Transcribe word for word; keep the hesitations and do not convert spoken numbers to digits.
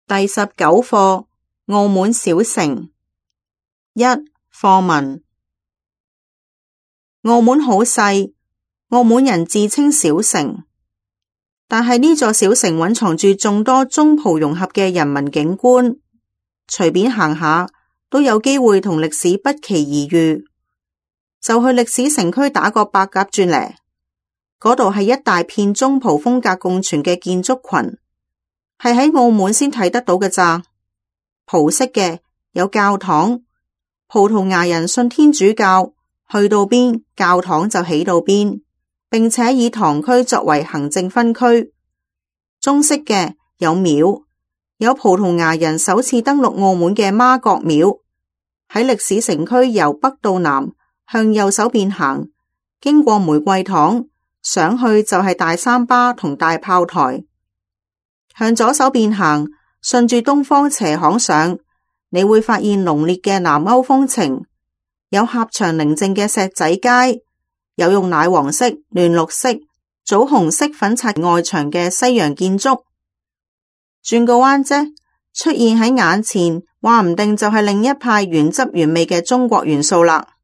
第十九課，澳門小城。一、課文。澳門好細，澳門人自稱小城，但係呢座小城蘊藏住眾多中葡融合嘅人文景觀，隨便行下都有機會同歷史不期而遇。就去歷史城區打個八甲轉嚟，嗰度係一大片中葡風格共存嘅建築群，係喺澳門先睇得到嘅咋。葡式嘅有教堂，葡萄牙人信天主教，去到邊教堂就起到邊，並且以堂區作為行政分區。中式嘅有廟，有葡萄牙人首次登陸澳門嘅媽閣廟，喺歷史城區由北到南向右手邊行，經過玫瑰堂，上去就係大三巴同大炮台。向左手邊行，順住東方斜巷上，你會發現濃烈嘅南歐風情，有狹長寧靜嘅石仔街，有用奶黃色、嫩綠色、棗紅色粉刷外牆嘅西洋建築。轉個彎啫，出現喺眼前，話唔定就係另一派原汁原味嘅中國元素啦。